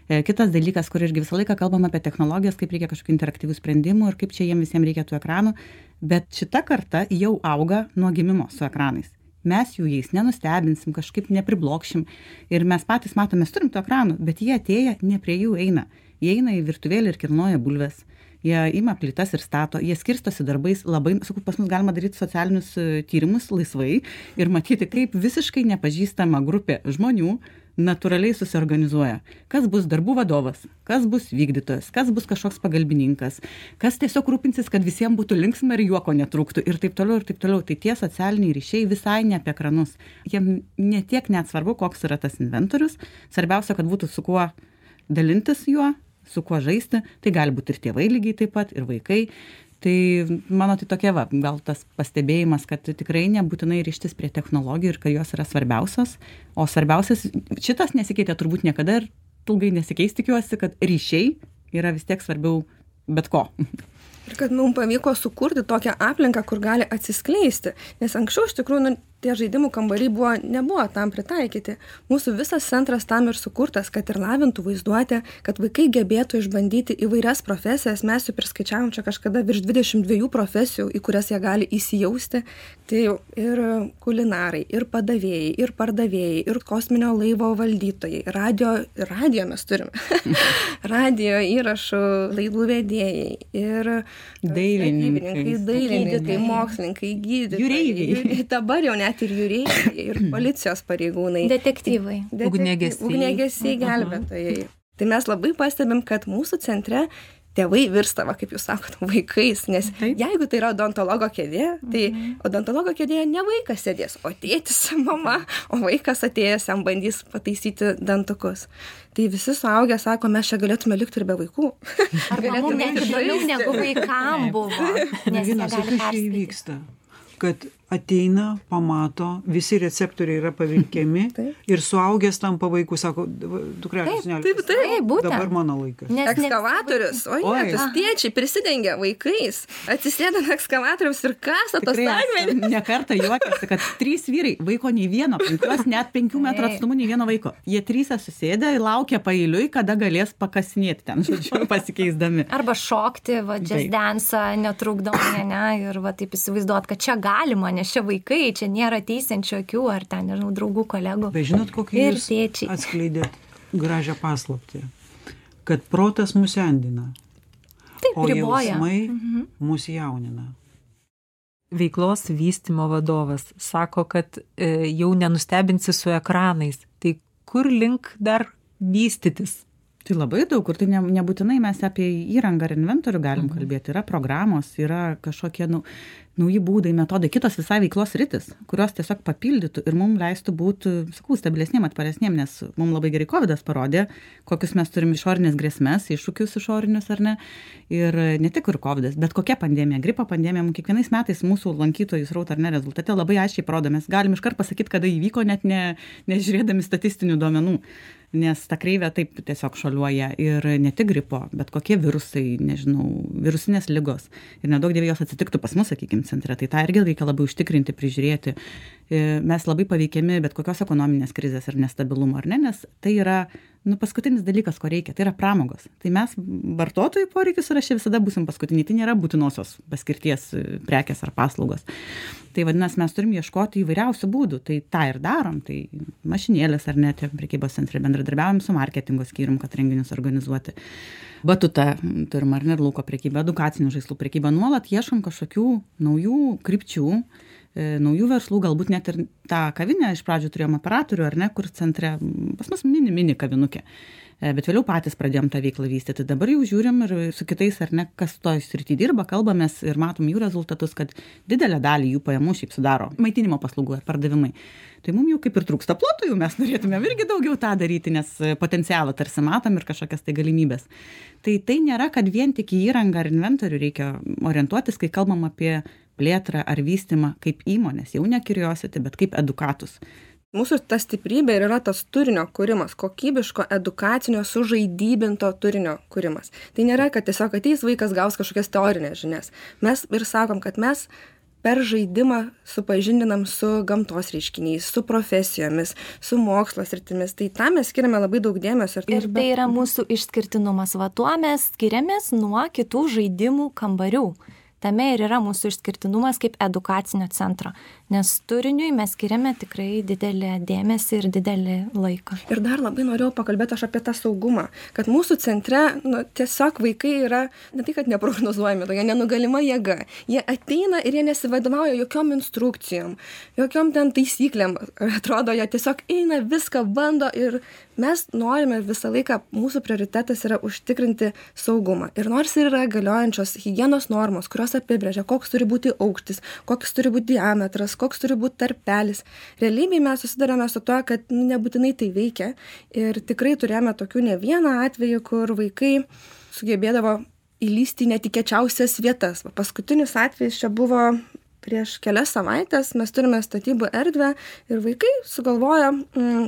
Kitas dalykas, kur irgi visą laiką kalbam apie technologijas, kaip reikia kažkokių interaktyvių sprendimų ir kaip čia jiems visiems reikia tų ekranų, bet šita karta jau auga nuo gimimo su ekranais. Mes jų jais nenustebinsim, kažkaip nepriblokšim ir mes patys matom, mes turim tų ekranų, bet jie atėję ne prie jų eina. Jie eina į virtuvėlį ir kilnoja bulves. Jie ima plytas ir stato, jie skirstosi darbais labai, sakau, pas mus galima daryti socialinius tyrimus laisvai ir matyti, kaip visiškai nepažįstama grupė žmonių natūraliai susiorganizuoja. Kas bus darbų vadovas, kas bus vykdytojas, kas bus kažkoks pagalbininkas, kas tiesiog rūpinsis, kad visiems būtų linksma ir juoko netrūktų ir taip toliau ir taip toliau. Tai tie socialiniai ryšiai visai ne apie ekranus. Jiem netiek net svarbu, koks yra tas inventorius. Svarbiausia, kad būtų su kuo dalintis juo, su kuo žaisti, tai gali būti ir tėvai lygiai taip pat, ir vaikai. Tai mano tai tokia va, gal tas pastebėjimas, kad tikrai nebūtinai ryštis prie technologijų ir kad jos yra svarbiausios, o svarbiausias, šitas nesikeitė turbūt niekada ir ilgai nesikeis, tikiuosi, kad ryšiai yra vis tiek svarbiau bet ko. Ir kad mums pavyko sukurti tokią aplinką, kur gali atsiskleisti, nes anksčiau iš tikrųjų nu, tie žaidimų kambariai buvo, nebuvo tam pritaikyti. Mūsų visas centras tam ir sukurtas, kad ir lavintų vaizduotę, kad vaikai gebėtų išbandyti įvairias profesijas. Mes jau priskaičiavom čia kažkada virš dvidešimt dviejų profesijų, į kurias jie gali įsijausti. Tai jau ir kulinarai, ir padavėjai, ir pardavėjai, ir kosminio laivo valdytojai, radio, radio mes turime, radio įrašų laidų vedėjai, ir dailininkai, dailininkai, mokslininkai, gydytojai, jūreiviai. Dabar jau net ir jūreiviai, ir policijos pareigūnai. Detektyvai. Detektyv... Ugniagesiai. Ugniagesiai, gelbėtojai. Tai mes labai pastebim, kad mūsų centre tėvai virsta, va, kaip jūs sakot, vaikais, nes Taip. jeigu tai yra odontologo kėdė, tai odontologo kėdėje ne vaikas sėdės, o tėtis, mama, o vaikas atėjęs jam bandys pataisyti dantukus. Tai visi suaugę sako, mes čia galėtume likti ir be vaikų. Arba mums net įdomiau negu vaikam buvo, nes jie Merginos, o gali kas čia perskaityti. įvyksta? Kad ateina, pamato, visi receptoriai yra pavilkiami ir suaugęs tampa vaikų, sako, dukrelės, ne, taip, Taip, būtent. dabar mano laikas. Nes ne- Ekskavatorius, o Oi. jie, tas tėčiai prisidengia vaikais, atsisėda ant ekskavatoriaus ir kasa tos Tikrai akmenį. esam ne kartą juokiasi, kad trys vyrai, vaiko nei vieno, penkios, net penkių metrų Taip. atstumu nei vieno vaiko. Jie trys susėdę ir laukia paeiliui, kada galės pakasinėti ten, žodžiu, pasikeisdami. Arba šokti, va, jazz Taip. dance, netrukdomai, ne, ir va, taip įsivaizduot, kad čia galima, nes čia vaikai, čia nėra teisiančių akių, ar ten, nežinau, draugų, kolegų. Bet žinot, kokį Ir jūs tėčiai. atskleidėt gražią paslaptį, kad protas mus endina, Taip, o riboja. jausmai Mhm. mus jaunina. Veiklos vystymo vadovas sako, kad e, jau nenustebinsi su ekranais. Tai kur link dar vystytis? Tai labai daug, kur tai ne, nebūtinai mes apie įrangą ar inventorių galim Mhm. kalbėti. Yra programos, yra kažkokie nu, nauji būdai, metodai, kitos visai veiklos rytis, kurios tiesiog papildytų ir mums leistų būti, sakau, stabilesniem, atparesniem, nes mums labai gerai kovidas parodė, kokius mes turim išorinės grėsmės, iššūkius išorinius ar ne. Ir ne tik ir kovidas, bet kokia pandemija, gripo pandemija, mums kiekvienais metais mūsų lankytojų srautą ar ne rezultate labai aiškiai parodo, mes galim iškart pasakyti, kada įvyko, net ne, nežiūrėdami statistinių duomenų. Nes ta kreivė taip tiesiog šuoliuoja ir ne tik gripo, bet kokie virusai, nežinau, virusinės ligos. Ir nedaug dievė jos atsitiktų pas mus, sakykime, centre. Tai tą irgi reikia labai užtikrinti, prižiūrėti. Mes labai paveikiami bet kokios ekonominės krizės ir nestabilumo, ar ne? Nes tai yra nu, paskutinis dalykas, ko reikia. Tai yra pramogos. Tai mes vartotojų poreikius sąraše visada būsim paskutiniai. Tai nėra būtinosios paskirties prekės ar paslaugos. Tai vadinasi, mes turim ieškoti įvairiausių būdų. Tai tą ir darom. Tai mašinėlės ar net prekybos centre bendradarbiaujam su marketingo skyrium, kad renginius organizuoti. Batuta turim ar ne, ir lauko prekybą, edukacinių žaislų prekybą. Nuolat ieškom kažkokių naujų krypčių, e, naujų verslų, galbūt net ir tą kavinę iš pradžių turėjom operatorių, ar ne, kur centre pas mus mini, mini kavinukė. Bet vėliau patys pradėjom tą veiklą vystyti. Dabar jau žiūrim ir su kitais, ar ne, kas toj srity dirba, kalbamės ir matom jų rezultatus, kad didelę dalį jų pajamų šiaip sudaro maitinimo paslaugų ar pardavimai. Tai mums jau kaip ir trūksta plotų, jau mes norėtumėm irgi daugiau tą daryti, nes potencialą tarsi matom ir kažkokias tai galimybės. Tai tai nėra, kad vien tik į įrangą ar inventorių reikia orientuotis, kai kalbam apie plėtrą ar vystymą kaip įmonės, jau ne curiosity, bet kaip edukatus. Mūsų ta stiprybė ir yra tas turinio kūrimas, kokybiško, edukacinio, sužaidybinto turinio kūrimas. Tai nėra, kad tiesiog ateis vaikas gaus kažkokias teorinės žinias. Mes ir sakom, kad mes per žaidimą supažindinam su gamtos reiškiniais, su profesijomis, su mokslo sritimis. Tai tam mes skiriame labai daug dėmesio. Ir tai yra mūsų išskirtinumas. Va tuo mes skiriamės nuo kitų žaidimų kambarių. Tame ir yra mūsų išskirtinumas kaip edukacinio centro, nes turiniui mes skiriame tikrai didelį dėmesį ir didelį laiką. Ir dar labai norėjau pakalbėti aš apie tą saugumą, kad mūsų centre nu, tiesiog vaikai yra ne tai, kad neprognozuojami, tokia nenugalima jėga. Jie ateina ir jie nesivadovauja jokiom instrukcijom, jokiom ten taisyklėm. Atrodo, jie tiesiog eina, viską bando ir mes norime visą laiką, mūsų prioritetas yra užtikrinti saugumą. Ir nors ir yra galiojančios higienos normos, kurios apibrėžia, koks turi būti aukštis, koks turi būti diametras, koks turi būti tarpelis. Realybėje mes susidarėme su to, kad nebūtinai tai veikia. Ir tikrai turėjome tokių ne vieną atvejį, kur vaikai sugebėdavo įlysti į netikėčiausias vietas. Paskutinis atvejis čia buvo prieš kelias savaitės, mes turime statybų erdvę ir vaikai sugalvojo,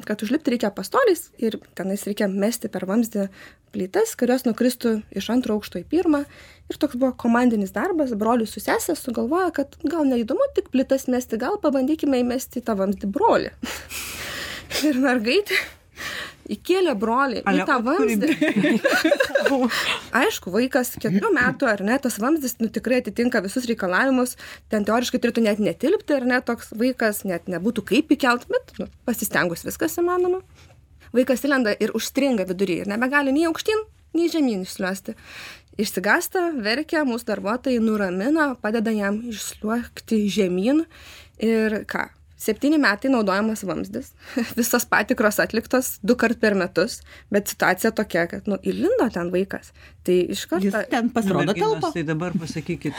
kad užlipti reikia pastoliais ir tenais reikia mesti per vamzdį plytas, kurios nukristų iš antro aukšto į pirmą. Ir toks buvo komandinis darbas, brolius su sesė sugalvojo, kad gal neįdomu tik plytas mesti, gal pabandykime įmesti į tą vamzdį brolį. Ir mergaitė įkėlė brolį į tą vamzdį. Aišku, vaikas keturių metų, ar ne, tas vamzdis nu, tikrai atitinka visus reikalavimus, ten teoriškai turėtų net netilpti, ar ne, toks vaikas net nebūtų kaip įkelt, bet nu, pasistengus viskas įmanoma. Vaikas įlenda ir užstringa vidury ir nebegali nei aukštyn, nei žemyn išsliuosti. Išsigąsta, verkia, mūsų darbuotojai nuramina, padeda jam išsliuokti žemyn ir ką? Septyni metai naudojamas vamzdis, visos patikros atliktos du kart per metus, bet situacija tokia, kad, nu, įlindo ten vaikas. Tai iš karto... Jis ten pasirodo telpa. Tai dabar pasakykit,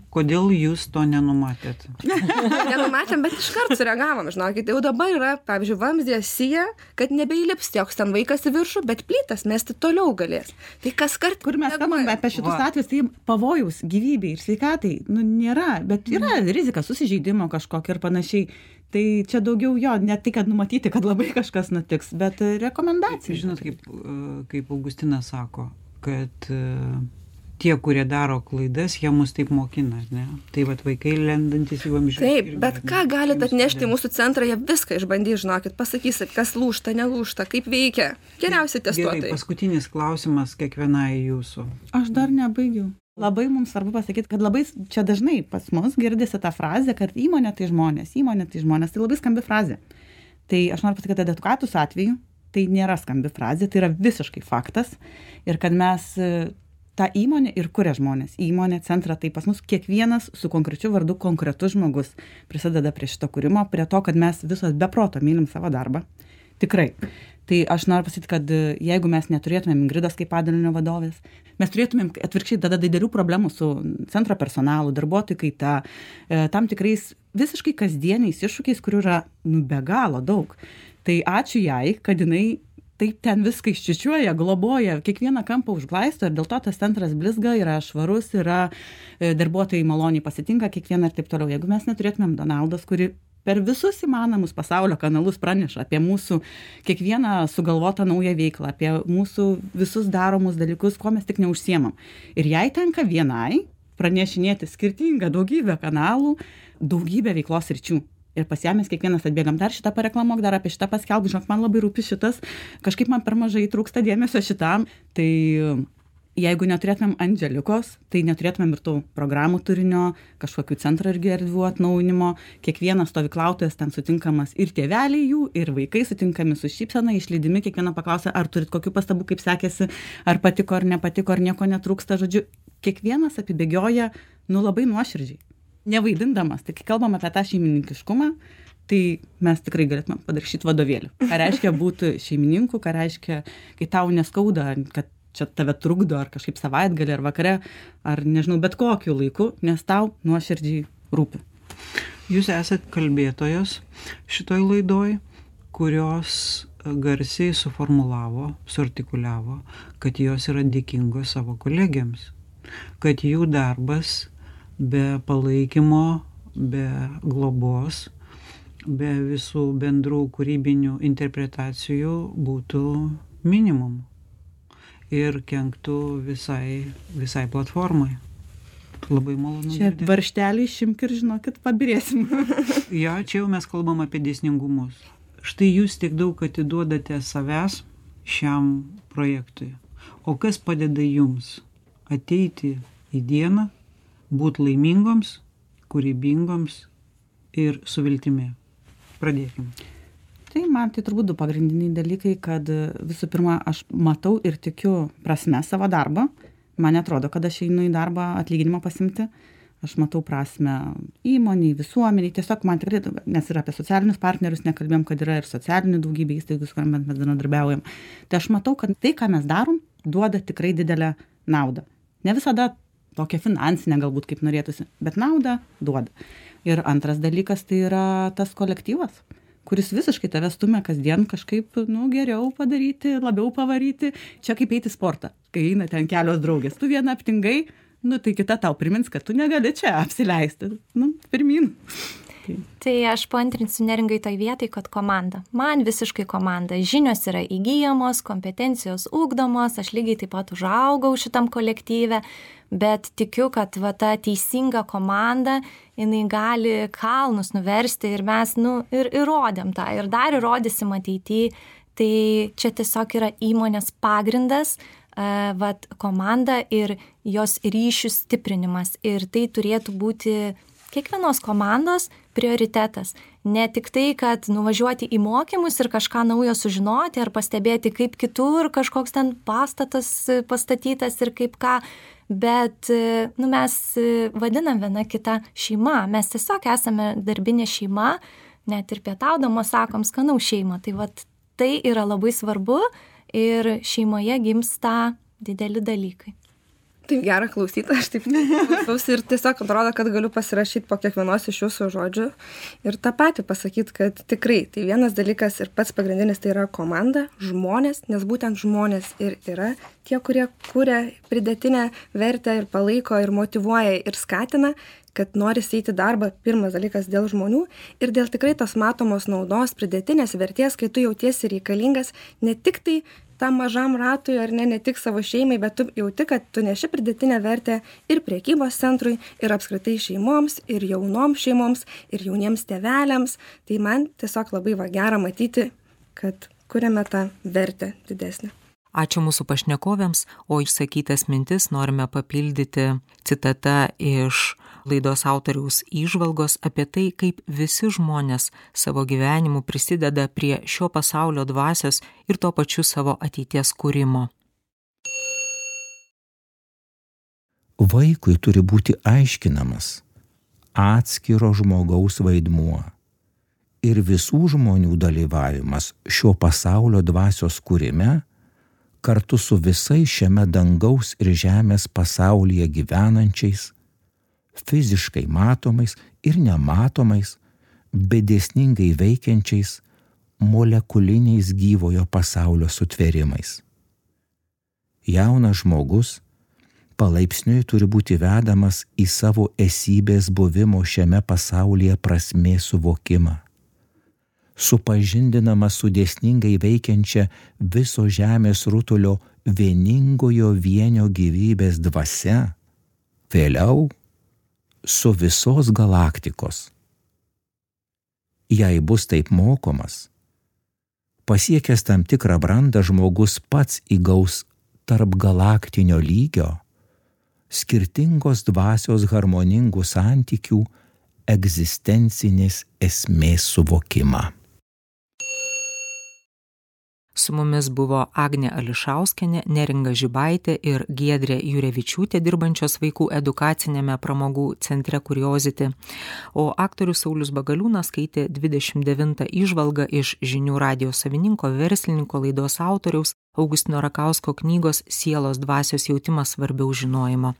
kodėl jūs to nenumatėt? Nenumatėm, bet iš karto sureagavom, žinokit, jau dabar yra, pavyzdžiui, vamzdė sija, kad nebeįlips joks ten vaikas į viršų, bet plytas mesti toliau galės. Tai kas kart... Kur mes kalbame apie šitus Va. atvejus, tai pavojaus gyvybei ir sveikatai, nu, nėra, bet yra rizika susižeidimo kažkokio ir panašiai. Tai čia daugiau jo, ne tai, kad numatyti, kad labai kažkas nutiks, bet rekomendacija. Žinot, kaip, kaip Augustinas sako, kad tie, kurie daro klaidas, jie mus taip mokina, ne? Tai vat vaikai lendantis į vamzdžius. Taip, bet ką galit atnešti į mūsų centrą, jie viską išbandys, žinokit, pasakysit, kas lūžta, nelūžta, kaip veikia. Geriausiai testuotojai. Gerai, paskutinis klausimas kiekvienai jūsų. Aš dar nebaigiau. Labai mums svarbu pasakyti, kad labai čia dažnai pas mus girdisi ta frazė, kad įmonė tai žmonės, įmonė tai žmonės, tai labai skambi frazė. Tai aš noriu pasakyti, kad edukatus atveju tai nėra skambi frazė, tai yra visiškai faktas. Ir kad mes tą įmonę ir kuria žmonės, įmonė, centrą, tai pas mus kiekvienas su konkrečiu vardu konkretus žmogus prisideda prie šito kūrimo, prie to, kad mes visos be proto mylim savo darbą. Tikrai. Tai aš noriu pasakyti, kad jeigu mes neturėtumėm Ingridos kaip padalinio vadovės, mes turėtumėm atvirkščiai tada didelių problemų su centro personalu, darbuotojų kaita, tam tikrais visiškai kasdieniais iššūkiais, kurių yra nu, be galo daug. Tai ačiū jai, kad jinai taip ten viską iščiučiuoja, globoja, kiekvieną kampą užglaisto ir dėl to tas centras blizga, yra švarus, yra darbuotojai maloniai pasitinka kiekvieną ir taip toliau. Jeigu mes neturėtumėm Donaldos, kuri per visus įmanomus pasaulio kanalus praneša apie mūsų kiekvieną sugalvotą naują veiklą, apie mūsų visus daromus dalykus, ko mes tik neužsiemam. Ir jai tenka vienai pranešinėti skirtingą daugybę kanalų, daugybę veiklos ryčių. Ir pas ją mes kiekvienas atbėgam, dar šitą pareklamuok, dar apie šitą paskelbk, žinok, man labai rūpi šitas, kažkaip man per mažai trūksta dėmesio šitam. Tai jeigu neturėtumėm Andželikos, tai neturėtumėm ir tų programų turinio, kažkokių centro irgi erdvių atnaujinimo, kiekvienas stovyklautojas ten sutinkamas ir tėveliai jų, ir vaikai sutinkami su šypsena, išlydimi, kiekviena paklausia, ar turit kokių pastabų, kaip sekėsi, ar patiko, ar nepatiko, ar nieko netrūksta, žodžiu, kiekvienas apibėgioja, nu labai nuoširdžiai, nevaidindamas. Tai kai kalbam apie tą šeimininkiškumą, tai mes tikrai galėtume padaryti vadovėlį. Ką reiškia būti šeimininku, ką reiškia, kai tau neskauda, kad čia tave trukdo, ar kažkaip savaitgalį, ar vakare, ar nežinau, bet kokiu laiku, nes tau nuoširdžiai rūpi. Jūs esat kalbėtojos šitoj laidoj, kurios garsiai suformulavo, suartikuliavo, kad jos yra dėkingos savo kolegiams, kad jų darbas be palaikymo, be globos, be visų bendrų kūrybinių interpretacijų būtų minimum ir kenktų visai, visai platformai. Labai malonu. Čia varžtelį išimk ir žinokit, pabirėsim. Ja, čia jau mes kalbam apie dėsningumus. Štai jūs tiek daug atiduodate savęs šiam projektui. O kas padeda jums ateiti į dieną, būti laimingoms, kūrybingoms ir su viltimi? Pradėkime. Tai man tai turbūt du pagrindiniai dalykai, kad visų pirma, aš matau ir tikiu prasme savo darbą. Man atrodo, kad aš einu į darbą atlyginimą pasimti. Aš matau prasme įmoniai, visuomeniai. Tiesiog man tikrai, nes ir apie socialinius partnerius nekalbėjom, kad yra ir socialinių daugybė įstaigų, su kuriuo mes bendradarbiaujam. Tai aš matau, kad tai, ką mes darom, duoda tikrai didelę naudą. Ne visada tokia finansinė galbūt kaip norėtųsi, bet naudą duoda. Ir antras dalykas tai yra tas kolektyvas, kuris visiškai tave stumia kasdien kažkaip, nu, geriau padaryti, labiau pavaryti. Čia kaip eiti sportą, kai eina ten kelios draugės. Tu vieną aptingai, nu, tai kita tau primins, kad tu negali čia apsileisti. Nu, pirmin. Tai aš paantrinsiu Neringai toj vietai, kad komanda. Man visiškai komanda. Žinios yra įgyjamos, kompetencijos ugdomos, aš lygiai taip pat užaugau šitam kolektyve, bet tikiu, kad va, ta teisinga komanda, jinai gali kalnus nuversti ir mes, nu, ir įrodėm tą, ir dar įrodysim ateityje. Tai čia tiesiog yra įmonės pagrindas, uh, vat, komanda ir jos ryšių stiprinimas. Ir tai turėtų būti kiekvienos komandos prioritetas. Ne tik tai, kad nuvažiuoti į mokymus ir kažką naujo sužinoti ar pastebėti, kaip kitur kažkoks ten pastatas pastatytas ir kaip ką, bet nu, mes vadinam viena kitą šeima. Mes tiesiog esame darbinė šeima, net ir pietaudamos sakom skanaus šeimą. Tai vat tai yra labai svarbu ir šeimoje gimsta dideli dalykai. Taip gera klausyti, aš taip klausausi ir tiesiog atrodo, kad galiu pasirašyti po kiekvienos iš jūsų žodžių ir tą patį pasakyti, kad tikrai tai vienas dalykas ir pats pagrindinis tai yra komanda, žmonės, nes būtent žmonės ir yra tie, kurie kuria pridėtinę vertę ir palaiko ir motyvuoja ir skatina, kad nori eiti darbą, pirmas dalykas dėl žmonių ir dėl tikrai tos matomos naudos, pridėtinės vertės, kai tu jautiesi reikalingas ne tik tai tam mažam ratui ar ne, ne tik savo šeimai, bet tu jauti, kad tu neši pridėtinę vertę ir prekybos centrui, ir apskritai šeimoms, ir jaunoms šeimoms, ir jauniems tėveliams. Tai man tiesiog labai va gera matyti, kad kuriame tą vertę didesnę. Ačiū mūsų pašnekovėms, o išsakytas mintis norime papildyti citata iš laidos autoriaus įžvalgos apie tai, kaip visi žmonės savo gyvenimu prisideda prie šio pasaulio dvasios ir tuo pačiu savo ateities kūrimo. Vaikui turi būti aiškinamas atskiro žmogaus vaidmuo ir visų žmonių dalyvavimas šio pasaulio dvasios kūrime kartu su visais šiame dangaus ir žemės pasaulyje gyvenančiais, fiziškai matomais ir nematomais, bet dėsningai veikiančiais molekuliniais gyvojo pasaulio sutvėrimais. Jaunas žmogus palaipsniui turi būti vedamas į savo esybės buvimo šiame pasaulyje prasmės suvokimą, supažindinama su dėsningai veikiančia viso žemės rutulio vieningojo vienio gyvybės dvasia, vėliau su visos galaktikos. Jei bus taip mokomas, pasiekęs tam tikrą brandą žmogus pats įgaus tarp galaktinio lygio skirtingos dvasios harmoningų santykių egzistencinės esmės suvokimą. Su mumis buvo Agnė Ališauskienė, Neringa Žibaitė ir Giedrė Jurevičiūtė, dirbančios vaikų edukacinėme pramogų centre Curiosity, o aktorius Saulius Bagaliūnas skaitė dvidešimt devintą įžvalgą iš Žinių radijo savininko, verslininko, laidos autoriaus Augustino Rakausko knygos Sielos dvasios jautimas svarbiau žinojimo.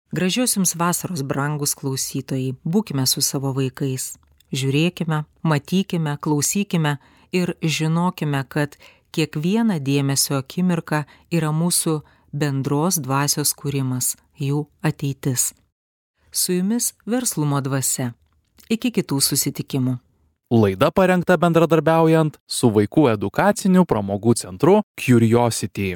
Gražios jums vasaros, brangus klausytojai, būkime su savo vaikais. Žiūrėkime, matykime, klausykime ir žinokime, kad kiekviena dėmesio akimirka yra mūsų bendros dvasios kūrimas, jų ateitis. Su jumis Verslumo dvasia. Iki kitų susitikimų. Laida parengta bendradarbiaujant su vaikų edukaciniu pramogų centru Curiosity.